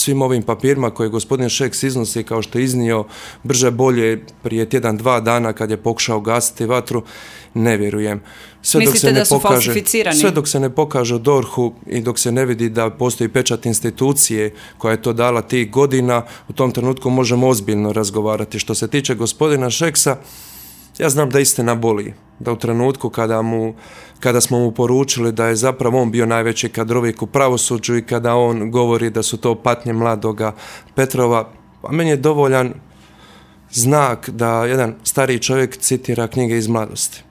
svim ovim papirima koje gospodin Šeks iznosi, kao što je iznio brže bolje prije tjedan, 2 dana kad je pokušao gasiti vatru, ne vjerujem. Mislite da su falsificirani? Sve dok se ne pokaže u DORH-u i dok se ne vidi da postoji pečat institucije koja je to dala tih godina, u tom trenutku možemo ozbiljno razgovarati. Što se tiče gospodina Šeksa, ja znam da istina boli, da u trenutku kada smo mu poručili da je zapravo on bio najveći kadrovik u pravosuđu i kada on govori da su to patnje mladoga Petrova, a meni je dovoljan znak da jedan stariji čovjek citira knjige iz mladosti.